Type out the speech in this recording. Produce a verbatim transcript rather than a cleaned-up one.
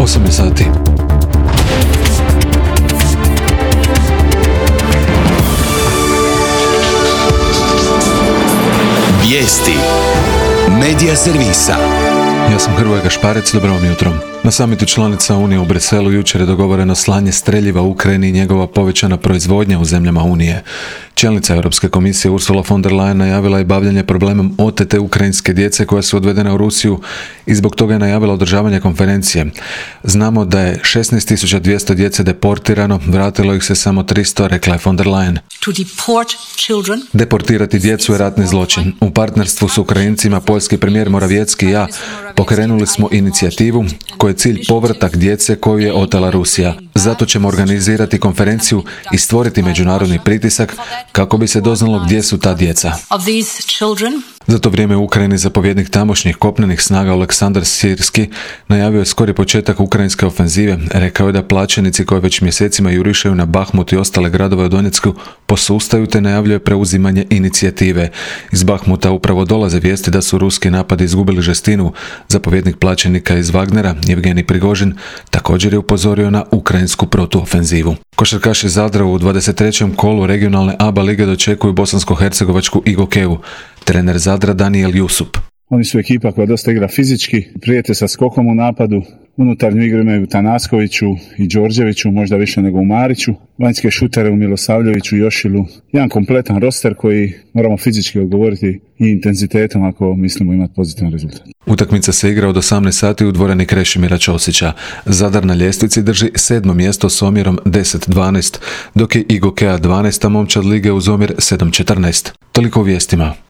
osam je sati. Vijesti Medija servisa. Ja sam Hrvoje Gašparec, dobro vam jutro. Na samitu članica Unije u Briselu jučer je dogovoreno slanje streljiva u Ukrajini i njegova povećana proizvodnja u zemljama Unije. Čelnica Europske komisije Ursula von der Leyen najavila je bavljanje problemom otete ukrajinske djece koja su odvedena u Rusiju i zbog toga je najavila održavanje konferencije. Znamo da je šesnaest tisuća dvjesto djece deportirano, vratilo ih se samo tristo, rekla je von der Leyen. Deportirati djecu je ratni zločin. U partnerstvu s Ukrajincima, poljski premijer Morawiecki i ja pokrenuli smo inicijativu koja je cilj povratak djece koju je otela Rusija. Zato ćemo organizirati konferenciju i stvoriti međunarodni pritisak kako bi se doznalo gdje su ta djeca. Za to vrijeme u Ukrajini zapovjednik tamošnjih kopnenih snaga Oleksandar Sirski najavio je skori početak ukrajinske ofenzive. Rekao je da plaćenici koji već mjesecima jurišaju na Bahmut i ostale gradove u Donjecku posustaju te najavljuje preuzimanje inicijative. Iz Bahmuta upravo dolaze vijesti da su ruski napadi izgubili žestinu. Zapovjednik plaćenika iz Wagnera, Jevgenij Prigožin, također je upozorio na ukrajinsku protuofenzivu. Košarkaši Zadra u dvadeset trećem kolu regionalne A B A lige dočekuju bosansko-hercegovačku Igokeu. Trener Zadra Daniel Jusup. Oni su ekipa koja dosta igra fizički, prijete sa skokom u napadu. Unutarnju igru imaju Tanaskoviću i Đorđeviću, možda više nego u Mariću. Vanjske šutere u Milosavljeviću i Jošilu. Jedan kompletan roster koji moramo fizički odgovoriti i intenzitetom ako mislimo imati pozitivan rezultat. Utakmica se igra od osamnaest sati u dvorani Krešimira Ćosića. Zadar na ljestvici drži sedmo mjesto s omjerom deset dvanaest, dok je Igokea dvanaesta momčad lige uz omjer sedam četrnaest. Toliko u vijestima.